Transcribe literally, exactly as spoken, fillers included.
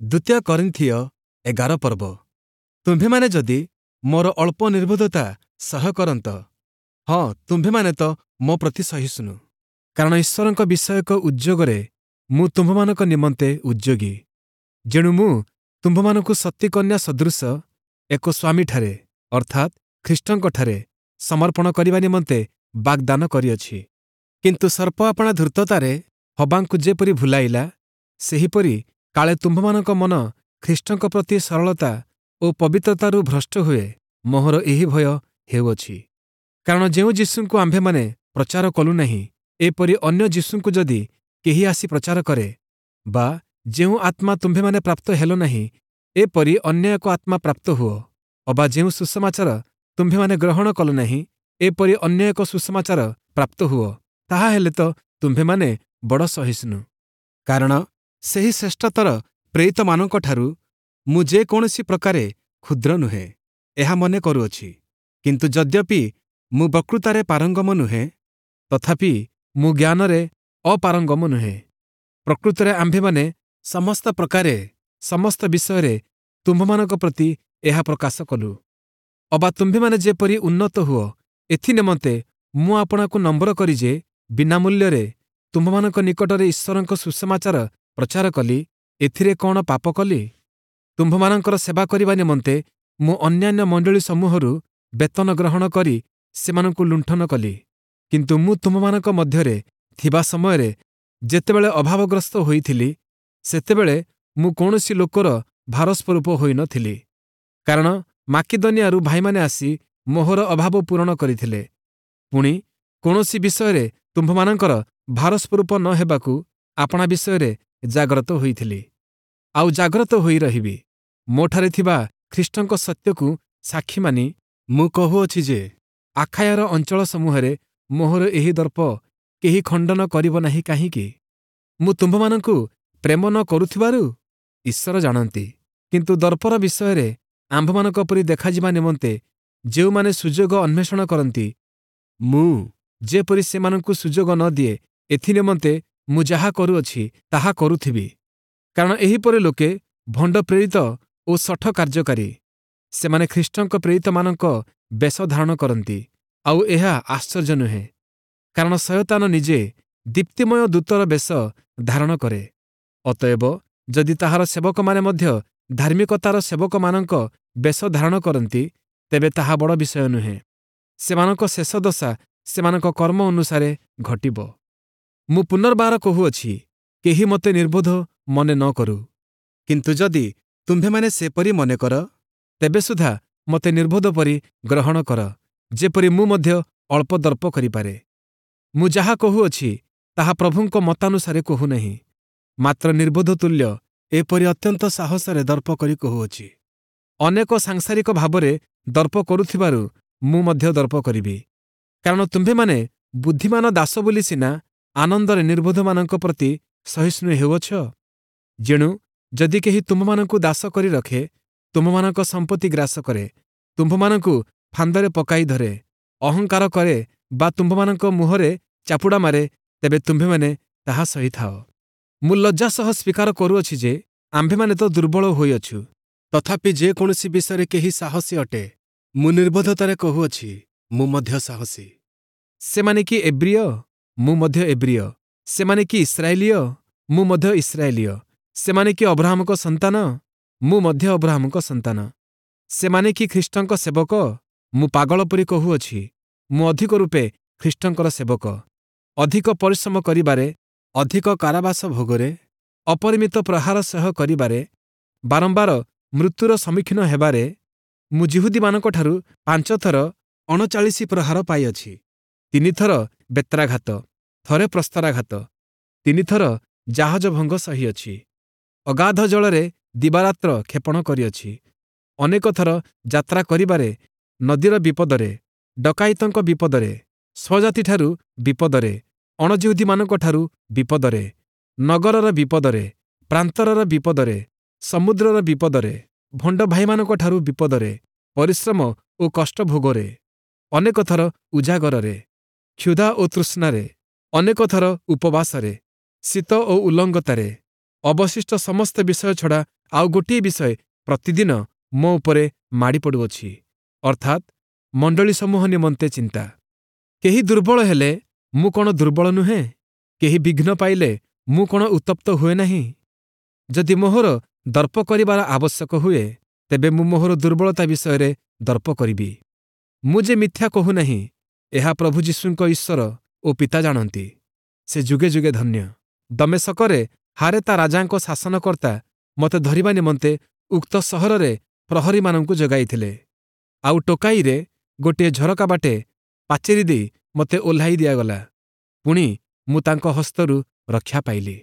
ଦ୍ୱିତୀୟ କରିନ୍ଥୀୟ ଏଗାର ପର୍ବ। ତୁମ୍ଭେମାନେ ଯଦି ମୋର ଅଳ୍ପ ନିର୍ବୋଧତା ସହ୍ୟ କରନ୍ତ, ହଁ, ତୁମ୍ଭେମାନେ ତ ମୋ ପ୍ରତି ସହିଷ୍ଣୁ। କାରଣ ଈଶ୍ୱରଙ୍କ ବିଷୟକ ଉଦ୍ଯୋଗରେ ମୁଁ ତୁମ୍ଭମାନଙ୍କ ନିମନ୍ତେ ଉଦ୍ଯୋଗୀ। ଯେଣୁ ମୁଁ ତୁମ୍ଭମାନଙ୍କୁ ସତୀକନ୍ୟା ସଦୃଶ ଏକ ସ୍ୱାମୀଠାରେ, ଅର୍ଥାତ୍ ଖ୍ରୀଷ୍ଟଙ୍କଠାରେ ସମର୍ପଣ କରିବା ନିମନ୍ତେ ବାଗ୍ଦାନ କରିଅଛି। କିନ୍ତୁ ସର୍ପ ଆପଣା ଧୂର୍ତ୍ତତାରେ ହବାଙ୍କୁ ଯେପରି ଭୁଲାଇଲା, ସେହିପରି କାଳେ ତୁମ୍ଭମାନଙ୍କ ମନ ଖ୍ରୀଷ୍ଟଙ୍କ ପ୍ରତି ସରଳତା ଓ ପବିତ୍ରତାରୁ ଭ୍ରଷ୍ଟ ହୁଏ, ମୋହର ଏହି ଭୟ ହେଉଅଛି। କାରଣ ଯେଉଁ ଯୀଶୁଙ୍କୁ ଆମ୍ଭେମାନେ ପ୍ରଚାର କଲୁ ନାହିଁ, ଏପରି ଅନ୍ୟ ଯୀଶୁଙ୍କୁ ଯଦି କେହି ଆସି ପ୍ରଚାର କରେ, ବା ଯେଉଁ ଆତ୍ମା ତୁମ୍ଭେମାନେ ପ୍ରାପ୍ତ ହେଲ ନାହିଁ, ଏପରି ଅନ୍ୟ ଏକ ଆତ୍ମା ପ୍ରାପ୍ତ ହୁଅ, ଅବା ଯେଉଁ ସୁସମାଚାର ତୁମ୍ଭେମାନେ ଗ୍ରହଣ କଲ ନାହିଁ, ଏପରି ଅନ୍ୟ ଏକ ସୁସମାଚାର ପ୍ରାପ୍ତ ହୁଅ, ତାହା ହେଲେ ତ ତୁମ୍ଭେମାନେ ବଡ଼ ସହିଷ୍ଣୁ। କାରଣ ସେହି ଶ୍ରେଷ୍ଠତର ପ୍ରେରିତମାନଙ୍କଠାରୁ ମୁଁ ଯେ କୌଣସି ପ୍ରକାରେ କ୍ଷୁଦ୍ର ନୁହେଁ, ଏହା ମନେ କରୁଅଛି। କିନ୍ତୁ ଯଦ୍ୟପି ମୁଁ ବକ୍ତୃତାରେ ପାରଙ୍ଗମ ନୁହେଁ, ତଥାପି ମୁଁ ଜ୍ଞାନରେ ଅପାରଙ୍ଗମ ନୁହେଁ। ପ୍ରକୃତରେ ଆମ୍ଭେମାନେ ସମସ୍ତ ପ୍ରକାରେ ସମସ୍ତ ବିଷୟରେ ତୁମ୍ଭମାନଙ୍କ ପ୍ରତି ଏହା ପ୍ରକାଶ କଲୁ। ଅବା ତୁମ୍ଭେମାନେ ଯେପରି ଉନ୍ନତ ହୁଅ, ଏଥି ନିମନ୍ତେ ମୁଁ ଆପଣାକୁ ନମ୍ର କରି ଯେ ବିନାମୂଲ୍ୟରେ ତୁମ୍ଭମାନଙ୍କ ନିକଟରେ ଈଶ୍ୱରଙ୍କ ସୁସମାଚାର ପ୍ରଚାର କଲି, ଏଥିରେ କଅଣ ପାପ କଲି? ତୁମ୍ଭମାନଙ୍କର ସେବା କରିବା ନିମନ୍ତେ ମୁଁ ଅନ୍ୟାନ୍ୟ ମଣ୍ଡଳୀ ସମୂହରୁ ବେତନ ଗ୍ରହଣ କରି ସେମାନଙ୍କୁ ଲୁଣ୍ଠନ କଲି। କିନ୍ତୁ ମୁଁ ତୁମ୍ଭମାନଙ୍କ ମଧ୍ୟରେ ଥିବା ସମୟରେ ଯେତେବେଳେ ଅଭାବଗ୍ରସ୍ତ ହୋଇଥିଲି, ସେତେବେଳେ ମୁଁ କୌଣସି ଲୋକର ଭାରସ୍ୱରୂପ ହୋଇନଥିଲି। କାରଣ ମାକିଦନିଆରୁ ଭାଇମାନେ ଆସି ମୋହର ଅଭାବ ପୂରଣ କରିଥିଲେ। ପୁଣି କୌଣସି ବିଷୟରେ ତୁମ୍ଭମାନଙ୍କର ଭାରସ୍ୱରୂପ ନ ହେବାକୁ ଆପଣା ବିଷୟରେ ଜାଗ୍ରତ ହୋଇଥିଲି, ଆଉ ଜାଗ୍ରତ ହୋଇ ରହିବି। ମୋଠାରେ ଥିବା ଖ୍ରୀଷ୍ଟଙ୍କ ସତ୍ୟକୁ ସାକ୍ଷୀ ମାନି ମୁଁ କହୁଅଛି ଯେ, ଆଖାୟାର ଅଞ୍ଚଳ ସମୂହରେ ମୋହର ଏହି ଦର୍ପ କେହି ଖଣ୍ଡନ କରିବ ନାହିଁ। କାହିଁକି? ମୁଁ ତୁମ୍ଭମାନଙ୍କୁ ପ୍ରେମ ନ କରୁଥିବାରୁ? ଈଶ୍ୱର ଜାଣନ୍ତି। କିନ୍ତୁ ଦର୍ପର ବିଷୟରେ ଆମ୍ଭମାନଙ୍କ ପରି ଦେଖାଯିବା ନିମନ୍ତେ ଯେଉଁମାନେ ସୁଯୋଗ ଅନ୍ୱେଷଣ କରନ୍ତି, ମୁଁ ଯେପରି ସେମାନଙ୍କୁ ସୁଯୋଗ ନ ଦିଏ, ଏଥି ନିମନ୍ତେ ମୁଁ ଯାହା କରୁଅଛି ତାହା କରୁଥିବି। କାରଣ ଏହିପରି ଲୋକେ ଭଣ୍ଡ ପ୍ରେରିତ ଓ ଶଠ କାର୍ଯ୍ୟକାରୀ। ସେମାନେ ଖ୍ରୀଷ୍ଟଙ୍କ ପ୍ରେରିତମାନଙ୍କ ବେଶ ଧାରଣ କରନ୍ତି। ଆଉ ଏହା ଆଶ୍ଚର୍ଯ୍ୟ ନୁହେଁ, କାରଣ ଶୟତାନ ନିଜେ ଦୀପ୍ତିମୟ ଦୂତର ବେଶ ଧାରଣ କରେ। ଅତଏବ ଯଦି ତାହାର ସେବକମାନେ ମଧ୍ୟ ଧାର୍ମିକତାର ସେବକମାନଙ୍କ ବେଶ ଧାରଣ କରନ୍ତି, ତେବେ ତାହା ବଡ଼ ବିଷୟ ନୁହେଁ। ସେମାନଙ୍କ ଶେଷ ଦଶା ସେମାନଙ୍କ କର୍ମ ଅନୁସାରେ ଘଟିବ। ମୁଁ ପୁନର୍ବାର କହୁଅଛି, କେହି ମୋତେ ନିର୍ବୋଧ ମନେ ନ କରୁ। କିନ୍ତୁ ଯଦି ତୁମ୍ଭେମାନେ ସେପରି ମନେ କର, ତେବେ ସୁଦ୍ଧା ମୋତେ ନିର୍ବୋଧ ପରି ଗ୍ରହଣ କର, ଯେପରି ମୁଁ ମଧ୍ୟ ଅଳ୍ପ ଦର୍ପ କରିପାରେ। ମୁଁ ଯାହା କହୁଅଛି, ତାହା ପ୍ରଭୁଙ୍କ ମତାନୁସାରେ କହୁନାହିଁ, ମାତ୍ର ନିର୍ବୋଧ ତୁଲ୍ୟ ଏପରି ଅତ୍ୟନ୍ତ ସାହସରେ ଦର୍ପ କରି କହୁଅଛି। ଅନେକ ସାଂସାରିକ ଭାବରେ ଦର୍ପ କରୁଥିବାରୁ ମୁଁ ମଧ୍ୟ ଦର୍ପ କରିବି। କାରଣ ତୁମ୍ଭେମାନେ ବୁଦ୍ଧିମାନ ଦାସ ବୋଲି ସିନା ଆନନ୍ଦରେ ନିର୍ବୋଧମାନଙ୍କ ପ୍ରତି ସହିଷ୍ଣୁ ହେଉଅଛ। ଯେଣୁ ଯଦି କେହି ତୁମ୍ଭମାନଙ୍କୁ ଦାସ କରି ରଖେ, ତୁମ୍ଭମାନଙ୍କ ସମ୍ପତ୍ତି ଗ୍ରାସ କରେ, ତୁମ୍ଭମାନଙ୍କୁ ଫାନ୍ଦରେ ପକାଇ ଧରେ, ଅହଙ୍କାର କରେ ବା ତୁମ୍ଭମାନଙ୍କ ମୁହଁରେ ଚାପୁଡ଼ା ମାରେ, ତେବେ ତୁମ୍ଭେମାନେ ତାହା ସହିଥାଅ। ମୁଁ ଲଜ୍ଜା ସହ ସ୍ୱୀକାର କରୁଅଛି ଯେ ଆମ୍ଭେମାନେ ତ ଦୁର୍ବଳ ହୋଇଅଛୁ। ତଥାପି ଯେ କୌଣସି ବିଷୟରେ କେହି ସାହସୀ ଅଟେ, ମୁଁ ନିର୍ବୋଧତାରେ କହୁଅଛି, ମୁଁ ମଧ୍ୟ ସାହସୀ। ସେମାନେ କି ଏବ୍ରୀୟ? ମୁଁ ମଧ୍ୟ ଏବ୍ରୀୟ। ସେମାନେ କି ଇସ୍ରାଏଲୀୟ? ମୁଁ ମଧ୍ୟ ଇସ୍ରାଏଲୀୟ। ସେମାନେ କି ଅବ୍ରାହମଙ୍କ ସନ୍ତାନ? ମୁଁ ମଧ୍ୟ ଅବ୍ରାହମଙ୍କ ସନ୍ତାନ। ସେମାନେ କି ଖ୍ରୀଷ୍ଟଙ୍କ ସେବକ? ମୁଁ ପାଗଳ ପରି କହୁଅଛି, ମୁଁ ଅଧିକ ରୂପେ ଖ୍ରୀଷ୍ଟଙ୍କର ସେବକ। ଅଧିକ ପରିଶ୍ରମ କରିବାରେ, ଅଧିକ କାରାବାସ ଭୋଗରେ, ଅପରିମିତ ପ୍ରହାର ସହ୍ୟ କରିବାରେ, ବାରମ୍ବାର ମୃତ୍ୟୁର ସମ୍ମୁଖୀନ ହେବାରେ ମୁଁ ଯିହୁଦୀମାନଙ୍କଠାରୁ ପାଞ୍ଚଥର ଅଣଚାଳିଶ ପ୍ରହାର ପାଇଅଛି, ତିନିଥର ବେତ୍ରାଘାତ, ଥରେ ପ୍ରସ୍ତରାଘାତ, ତିନିଥର ଜାହାଜ ଭଙ୍ଗ ସହିଅଛି, ଅଗାଧ ଜଳରେ ଦିବାରାତ୍ର କ୍ଷେପଣ କରିଅଛି, ଅନେକ ଥର ଯାତ୍ରା କରିବାରେ ନଦୀର ବିପଦରେ, ଡକାୟତଙ୍କ ବିପଦରେ, ସ୍ୱଜାତିଠାରୁ ବିପଦରେ, ଅଣଯିହୁଦୀମାନଙ୍କଠାରୁ ବିପଦରେ, ନଗରର ବିପଦରେ, ପ୍ରାନ୍ତରର ବିପଦରେ, ସମୁଦ୍ରର ବିପଦରେ, ଭଣ୍ଡ ଭାଇମାନଙ୍କଠାରୁ ବିପଦରେ, ପରିଶ୍ରମ ଓ କଷ୍ଟ ଭୋଗରେ, ଅନେକ ଥର ଉଜାଗରରେ, କ୍ଷୁଧା ଓ ତୃଷ୍ଣାରେ, ଅନେକ ଥର ଉପବାସରେ, ଶୀତ ଓ ଉଲଙ୍ଗତାରେ। ଅବଶିଷ୍ଟ ସମସ୍ତ ବିଷୟ ଛଡ଼ା ଆଉ ଗୋଟିଏ ବିଷୟ ପ୍ରତିଦିନ ମୋ ଉପରେ ମାଡ଼ି ପଡ଼ୁଅଛି, ଅର୍ଥାତ୍ ମଣ୍ଡଳୀ ସମୂହ ନିମନ୍ତେ ଚିନ୍ତା। କେହି ଦୁର୍ବଳ ହେଲେ ମୁଁ କ'ଣ ଦୁର୍ବଳ ନୁହେଁ? କେହି ବିଘ୍ନ ପାଇଲେ ମୁଁ କ'ଣ ଉତ୍ତପ୍ତ ହୁଏ ନାହିଁ? ଯଦି ମୋହର ଦର୍ପ କରିବାର ଆବଶ୍ୟକ ହୁଏ, ତେବେ ମୁଁ ମୋହର ଦୁର୍ବଳତା ବିଷୟରେ ଦର୍ପ କରିବି। ମୁଁ ଯେ ମିଥ୍ୟା କହୁନାହିଁ, ଏହା ପ୍ରଭୁ ଯୀଶୁଙ୍କ ଈଶ୍ୱର ଓ ପିତା ଜାଣନ୍ତି। ସେ ଯୁଗେ ଯୁଗେ ଧନ୍ୟ। ଦମେଶକରେ ହାରେତା ରାଜାଙ୍କ ଶାସନକର୍ତ୍ତା ମୋତେ ଧରିବା ନିମନ୍ତେ ଉକ୍ତ ସହରରେ ପ୍ରହରୀମାନଙ୍କୁ ଯୋଗାଇଥିଲେ। ଆଉ ଟୋକାଇରେ ଗୋଟିଏ ଝରକା ବାଟେ ପାଚେରୀ ଦେଇ ମୋତେ ଓହ୍ଲାଇ ଦିଆଗଲା। ପୁଣି ମୁଁ ତାଙ୍କ ହସ୍ତରୁ ରକ୍ଷା ପାଇଲି।